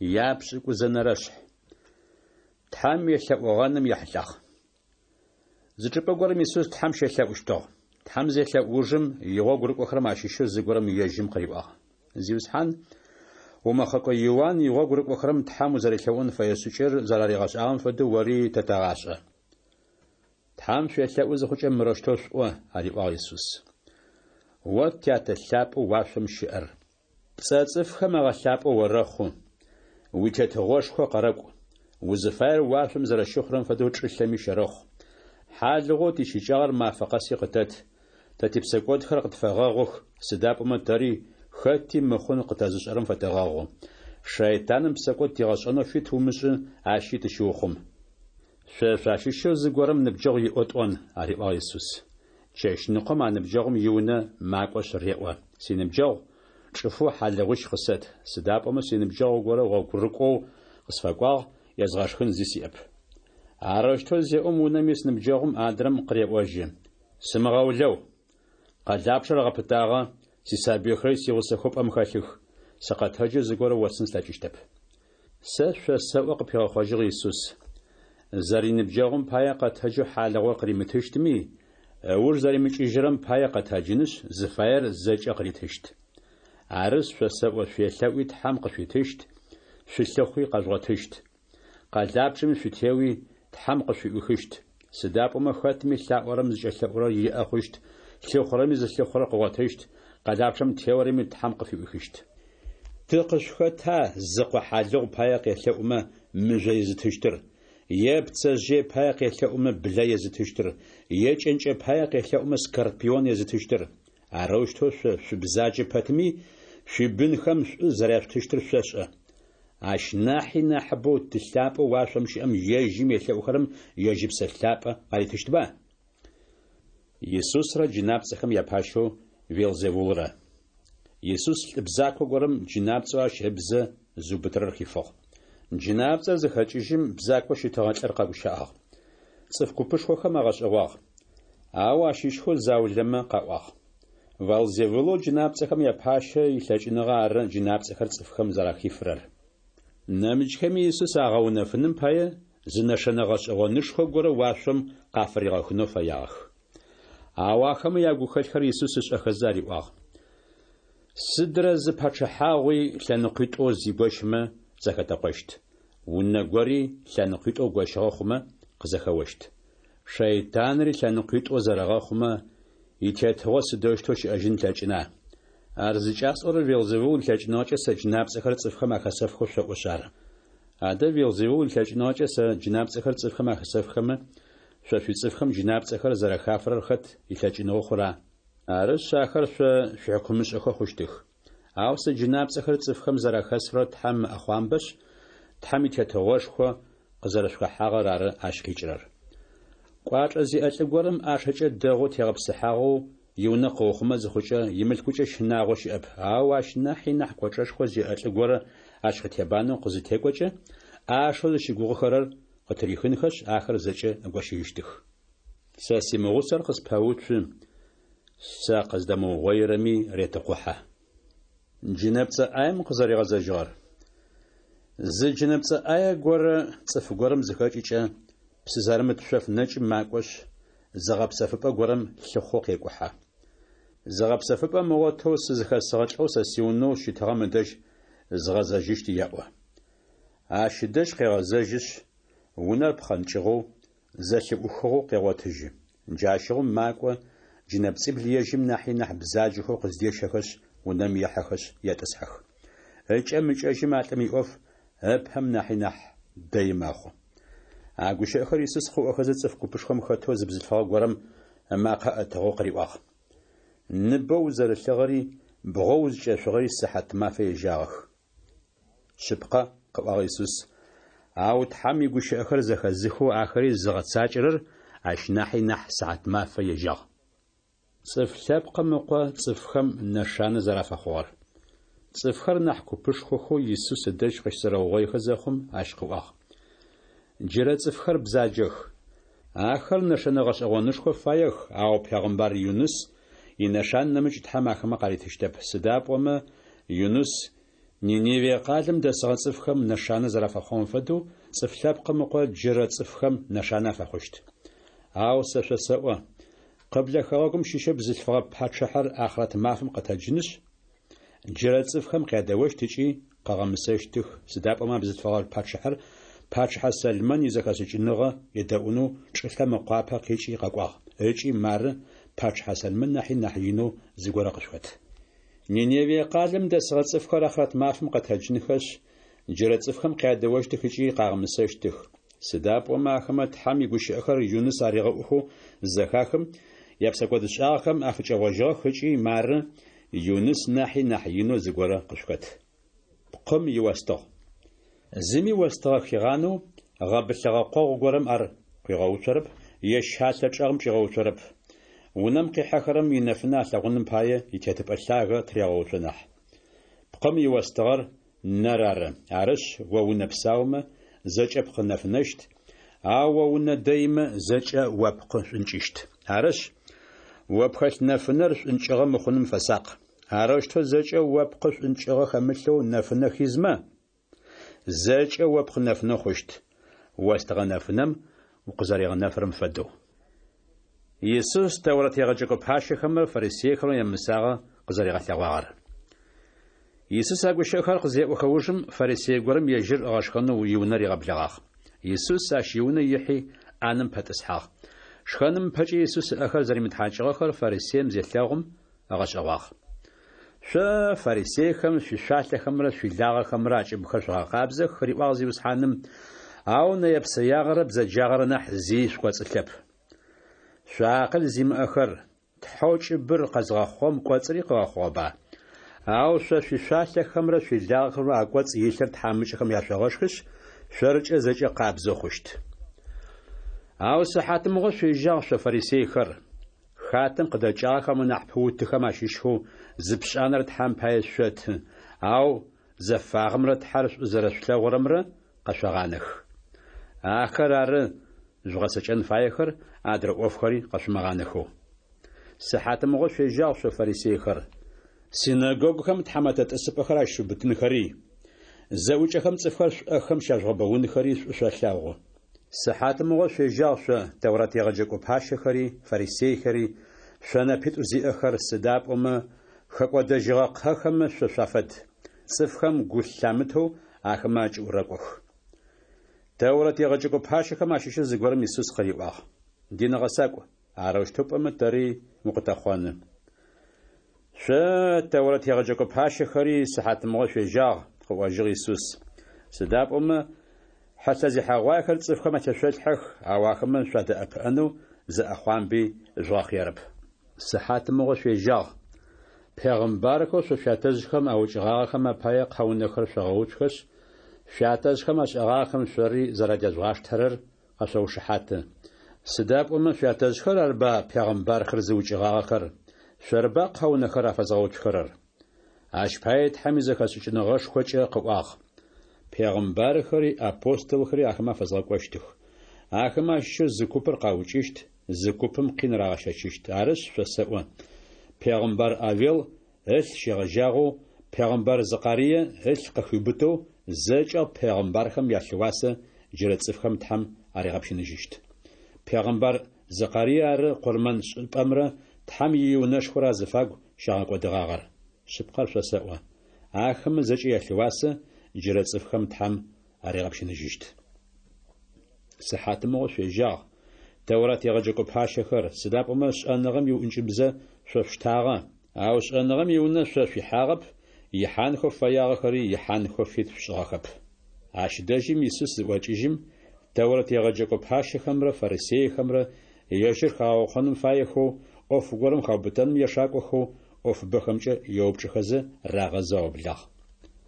Япшӏыкӏузэнэрэшъхь. Тхьэм елъэӏугъэным ехьылӏагъ. Зы чӏыпӏэ горэм Исус Тхьэм щелъэӏущтыгъ. Тхьэм зелъэӏу ужым, игъогу рыкӏохэрэм ащыщэу зыгорэм ежьым къыриӏуагъ: Зиусхьан, умэхъэкӏо Иуан игъогу рыкӏохэрэм Тхьэм узэрелъэӏун фэе шӏыкӏэр зэраригъэшӏагъэм фэдэу ори тэ тэгъашӏэ. Тхьэм шъуелъэӏу зыхъукӏэ мырэущтэу шъуӏо, ариӏуагъ Исус. О Тятэ лъапӏэу уашъом щыӏэр! Пцӏэ цӏыфхэм агъэлъапӏэу орэхъу, уи Тетыгъошхо къэрэкӏу. Узыфаер уашъом зэрэщыхъурэм фэдэу чӏылъэми щэрэхъу. Хьалыгъоу тищыкӏагъэр мафэ къэси къытэт. Тэ типсэкӏодхэр къытфэгъэгъух, сыда пӏомэ тэри хэти мыхъун къытэзышӏэрэм фэтэгъэгъу. Шэйтаным псэкӏод тигъэшӏэнэу фит умышӏы, ащи тыщыухъум. Шъо шъуащыщэу зыгорэм ныбджэгъу иӏэу тӏон, ариӏуагъ Исус. Чэщныкъом а ныбджэгъум иунэ макӏошъ реӏо: Синыбджэгъу, чӏыфэу хьалыгъуищ къысэт, сыда пӏомэ синыбджэгъу горэ гъогурыкӏоу къысфэкӏуагъ, езгъэшхын зи сиӏэп. Арэущтэу зеӏом унэм ис ныбджэгъум адрэм къыреӏожьы: Сымыгъэулэу! Къэлапчъэр гъэпытагъэ, сисабыйхэри сигъусэхэу пӏэм хэлъых, сыкъэтэджэу зыгорэ остын слъэкӏыщтэп. Сэ шъосэӏо, къыпигъэхъожьыгъ Исус, зэриныбджэгъум пае къэтэджэу хьалыгъур къыримытыщтми, ыуж зэримыкӏыжьырэм пае къэтэджынышъ, зыфаер зэкӏэ къыритыщт. Арышъ, шъосэӏо, шъуелъэӏуи Тхьэм къышъуитыщт, шъулъыхъуи къэжъугъотыщт. Къэлапчъэми шъутеуи, Тхьэм къышъуфыӏуихыщт. Сыда пӏомэ хэтми лъаӏорэм зыкӏэлъэӏурэр иӏэ хъущт, лъыхъурэми зылъыхъурэр къыгъотыщт, къэлапчъэм теорэми Тхьэм къыфыӏуихыщт. Ты къышъухэта зыкъо хьалыгъу пае къелъэӏумэ мыжъо езытыщтыр, е пцэжъые пае къелъэӏумэ блэ езытыщтыр, е кӏэнкӏэ пае къелъэӏумэ скорпион езытыщтыр? Арэущтэу шъо шъубзаджэ пэтми, шъуибынхэм шӏу зэряшъутыщтыр шъошӏэ. Ащ нахьи нахьыбэу Ты лъапӏэу уашъом щыӏэм ежьым елъэӏухэрэм ежь Ыпсэ Лъапӏэ къаритыщтба? Исусрэ джынапцӏэхэм япащэу Велзевулрэ. Исус лӏы бзако горэм джынапцӏэу ащ ыбзэ зыубытырэр хифыгъ. Джынапцӏэр зыхэкӏыжьым, бзакоу щытыгъэ лӏыр къэгущыӏагъ. Цӏыф купышхохэм агъэшӏэгъуагъ. Ау ащыщхэу заулэмэ къаӏуагъ: Валзевулэу джынапцӏэхэм япащэ илъэкӏыныгъэ ары джынапцӏэхэр цӏыфхэм зэрахифырэр. Нэмыкӏхэми Исус агъэунэфыным пае зы нэшэнэ гъэшӏэгъонышхо горэ уашъом къафыригъэхынэу фэягъэх. Ау ахэмэ ягухэлъхэр Исус ышӏэхэзэ ариӏуагъ: Сыдрэ зы пачъыхьагъуи лъэныкъуитӏоу зигощымэ зэхэтэкъощт. Унэ гори лъэныкъуитӏоу гощыгъэ хъумэ къызэхэощт. Шэйтанри лъэныкъуитӏоу зэрэгъэхъумэ, итетыгъо сыдэущтэу щыӏэжьын ылъэкӏына? Ар зыкӏасӏорэр Велзевул илъэкӏыныгъэкӏэ сэ джынапцӏэхэр цӏыфхэм ахэсэфхэу шъоӏошъ ары. Адэ Велзевул илъэкӏыныгъэкӏэ сэ джынапцӏэхэр цӏыфхэм ахэсэфхэмэ, шъо шъуицӏыфхэм джынапцӏэхэр зэрэхафырэр хэт илъэкӏыныгъэу хъура? Арышъ, ахэр шъо шъуихьыкумышӏэхэу хъущтых. Ау сэ джынапцӏэхэр цӏыфхэм зэрахэсфырэр Тхьэм ыӏэхъуамбэшъ, Тхьэм и Тетыгъошхо къызэрэшъухэхьагъэр ары ащ къикӏырэр. Кӏуачӏэ зиӏэ лӏы горэм ӏашэкӏэ дэгъоу тегъэпсыхьагъэу иунэ къыухъумэ зыхъукӏэ, имылъкукӏэ щынагъо щыӏэп, ау ащ нахьи нахь кӏочӏэшхо зиӏэ лӏы горэ ащ къытебанэу къызытекӏокӏэ, ӏашэу зыщыгугъыхэрэр къытырихынхэшъ, ахэр зэкӏэ ыгощыжьыщтых. Сэ симыгъусэр къыспэуцу, сэ къыздэмыугъоирэми ретыкъухьэ. Джынэпцӏэ ӏаем къызэригъэзэжьыгъэр. Зы джынэпцӏэ ӏае горэ цӏыф горэм зыхэкӏыкӏэ, псы зэрымыт шъоф нэкӏым макӏошъ, зыгъэпсэфыпӏэ горэм лъыхъоу къекӏухьэ. Зыгъэпсэфыпӏэ ымыгъотэу сызыхэсыгъэ лӏэу сэ сиунэу щытыгъэм ыдэжь згъэзэжьыщт еӏо. Ащ ыдэжь къегъэзэжьышъ, унэр пхъэнкӏыгъэу, зэлъыӏухыгъэу къегъотыжьы. Джащыгъум макӏо, джынэпцӏибл ежьым нахьи нахь бзаджэхэу къыздещэхэшъ, унэм ехьэхэшъ етӏысхьэх. Ыкӏэм ыкӏэжьым а лӏым иӏоф ыпэм нахьи нахь дэи мэхъу. А гущыӏэхэр Исус къыӏохэзэ цӏыф купышхом хэтэу зы бзылъфыгъэ горэм ымакъэ ӏэтыгъэу къыриӏуагъ. Ныбэу узэрылъыгъэри, бгъэу узкӏэшъугъэри сыхьатмафэ ежьагъэх. Шъыпкъэ, къыӏуагъ Исус, ау Тхьэм игущыӏэхэр зэхэзыхэу ахэри зыгъэцакӏэрэр ащ нахьи нахь сыхьатмафэ ежьагъ. Цӏыф Лъэпкъым Ыкъо цӏыфхэм нэшанэ зэрафэхъугъэр. Цӏыфхэр нахь купышхохэу Исус ыдэжь къыщызэрэугъоихэ зэхъум, ащ къыӏуагъ. Джырэ цӏыфхэр бзаджэх. Ахэр нэшэнэ гъэшӏэгъонышхо фаех, ау пегъымбар Юныс инэшан нэмыкӏ Тхьэм ахэмэ къаритыщтэп, сыда пӏомэ Юныс Ниневие къалэм дэсыгъэ цӏыфхэм нэшанэ зэрафэхъугъэм фэдэу, Цӏыф Лъэпкъым Ыкъо джырэ цӏыфхэм нэшанэ афэхъущт. Ау сэ шъосэӏо, къыблэ хэгъэгум щыщэу бзылъфыгъэ пачъыхьэр ахърэт мафэм къэтэджынышъ, джырэ цӏыфхэм къядэощт ыкӏи къыгъэмысэщтых, сыда пӏомэ а бзылъфыгъэ пачъыхьэр пачъыхьэ Сэлмэн изэхэшӏыкӏыныгъэ едэӏунэу чӏылъэм ыкъуапэ къикӏи къэкӏуагъ, ыкӏи мары пачъыхьэ Сэлмэн нахьи нахь инэу зыгорэ къышъухэт. Ниневие къалэм дэсыгъэ цӏыфхэр ахърэт мафэм къэтэджынхэшъ, джырэ цӏыфхэм къядэощтых ыкӏи къагъэмысэщтых, сыда пӏомэ ахэмэ Тхьэм игущыӏэхэр Юныс аригъэӏухэу зызэхахым, япсэкӏодышӏагъэхэм афыкӏэгъожьыгъэх ыкӏи мары Юныс нахьи нахь инэу зыгорэ къышъухэт. Пкъым иостыгъ. Зыми остыгъэ хигъанэу, гъэбылъыгъэ къогъу горэм ар къуигъэуцорэп е щалъэ чӏэгъым чӏигъэуцорэп. Унэм къихьэхэрэм инэфынэ алъэгъуным пае итетыпӏэ лъагэ тырегъэуцо нахь. Пкъым иостыгъэр нэр ары, арышъ, о унэ псаумэ, зэкӏэ пкъы нэфынэщт, ау о унэ дэимэ, зэкӏэ о пкъы шӏункӏыщт. Арышъ, о пхэлъ нэфынэр шӏункӏыгъэ мыхъуным фэсакъ. Арэущтэу зэкӏэ о пкъы шӏункӏыгъэ хэмылъэу нэфынэ хизмэ, зэкӏэ о пкъы нэфынэ хъущт, остыгъэ нэфынэм укъызэригъэнэфырэм фэдэу. Исус Тэурэт егъэджэкӏо пащэхэмрэ фарисейхэмрэ ямысагъэ къызэригъэлъэгъуагъэр. Исус а гущыӏэхэр къызеӏохэ ужым, фарисей горэм ежьыр ыгъэшхэнэу иунэ ригъэблэгъагъ. Исус ащ иунэ ихьи, ӏанэм пэтӏысхьагъ. Шхэным ыпэкӏэ Исус ыӏэхэр зэримытхьакӏыгъэхэр фарисеим зелъэгъум, ыгъэшӏэгъуагъ. Шъо, фарисейхэм, шъуишъуалъэхэмрэ шъуилагъэхэмрэ акӏыбхэр шъогъэкъабзэх, риӏуагъ Зиусхьаным, ау нэе-псэягъэрэ бзэджагъэрэ нахь зи шъукӏоцӏылъэп. Шъо акъыл зимыӏэхэр, Тхьэу кӏыбыр къэзгъэхъугъэм кӏоцӏри къыгъэхъугъэба? Ау шъо шъуишъуалъэхэмрэ шъуилагъэхэмрэ акӏоцӏ илъыр тхьамыкӏэхэм яшъогъэшхышъ, шъоркӏэ зэкӏэ къабзэу хъущт. Ау сыхьатымыгъо шъуежьагъ шъо фарисейхэр! Хатэм къыдэкӏагъэхэм анахь пыутыхэм ащыщхэу зы пшӏанэр Тхьэм пае шъоты, ау зэфагъэмрэ Тхьэр шӏу зэрэшъулъэгъурэмрэ къэшъогъанэх. Ахэр ары жъугъэцэкӏэн фаехэр, адрэ ӏофхэри къэшъумыгъанэхэу. Сыхьатымыгъо шъуежьагъ шъо фарисейхэр! Синэгогухэм тхьамэтэ тӏысыпӏэхэр ащышъуубытынхэри, зэӏукӏэхэм цӏыфхэр шъуӏэхэм щяжъугъэбэунхэри шӏу шъолъэгъу. Сыхьатымыгъо шъуежьагъ шъо, Тэурат егъэджэкӏо пащэхэри, фарисейхэри, шъо нэпитӏу зиӏэхэр, сыда пӏомэ хэкӏодэжьыгъэ кхъэхэмэ шъо шъуафэд. Цӏыфхэм гу лъамытэу ахэмэ акӏыӏу рэкӏох. Тэурэт егъэджэкӏо пащэхэм ащыщэу зыгорэм Исус къыриӏуагъ: Дин гъэсакӏу, арэущтэу пӏомэ тэри укъытэхъоны. Шъо, Тэурэт егъэджэкӏо пащэхэри, сыхьатымыгъо шъуежьагъ, къыӏожьыгъ Исус. Сыда пӏомэ хьылъэзехьэгъуаехэр цӏыфхэм атешъолъхьэх, ау ахэмэ шъуадэӏэпыӏэнэу зы ӏэхъуамби жъугъэхъерэп. Сыхьатымыгъо шъуежьагъ. Пегъымбархэу шъо шъуятэжъхэм аукӏыгъагъэхэм апае кхъэунэхэр шъогъэуцухэшъ, шъуятэжъхэм ашӏэгъагъэхэм шъори зэрадежъугъаштэрэр къэшъоушыхьаты. Сыда пӏомэ шъуятэжъхэр арба пегъымбархэр зыукӏыгъагъэхэр, шъорыба кхъэунэхэр афэзгъэуцухэрэр? Ащ пае Тхьэм изэхэшӏыкӏыныгъэшхокӏэ къыӏуагъ: Пегъымбархэри апостолхэри ахэмэ афэзгъэкӏощтых. Ахэмэ ащыщэу зы купыр къаукӏыщт, зы купым къин рагъэщэчыщт. Арышъ, шъосэӏо, пегъымбар Авел ылъ щегъэжьагъэу пегъымбар Зыкъарие ылъ къыхиубытэу зэкӏэ пегъымбархэм ялъыуасэ джырэ цӏыфхэм Тхьэм аригъэпщыныжьыщт. Пегъымбар Зыкъарие ары къурмэн шӏыпӏэмрэ Тхьэм иунэшхорэ азыфагу щагъэкӏодыгъагъэр. Шъыпкъэр шъосэӏо, ахэмэ зэкӏэ ялъыуасэ джырэ цӏыфхэм Тхьэм аригъэпщыныжьыщт. Сыхьатымыгъо шъуежьагъ, Тэурат егъэджэкӏо пащэхэр, сыда пӏомэ шӏэныгъэм иӏункӏыбзэ шъо шъуштагъэ, ау шӏэныгъэм иунэ шъо шъуихьагъэп, ихьанхэу фэягъэхэри ихьанхэу фит шъушӏыгъэхэп. Ащ дэжьым Исус зыӏокӏыжьым, Тэурэт егъэджэкӏо пащэхэмрэ фарисейхэмрэ ежьыр хагъэукъоным фаехэу, ӏоф горэм хаубытэным ешакӏохэу, ӏофыбэхэмкӏэ еупчӏыхэзэ рагъэзэу аублагъ.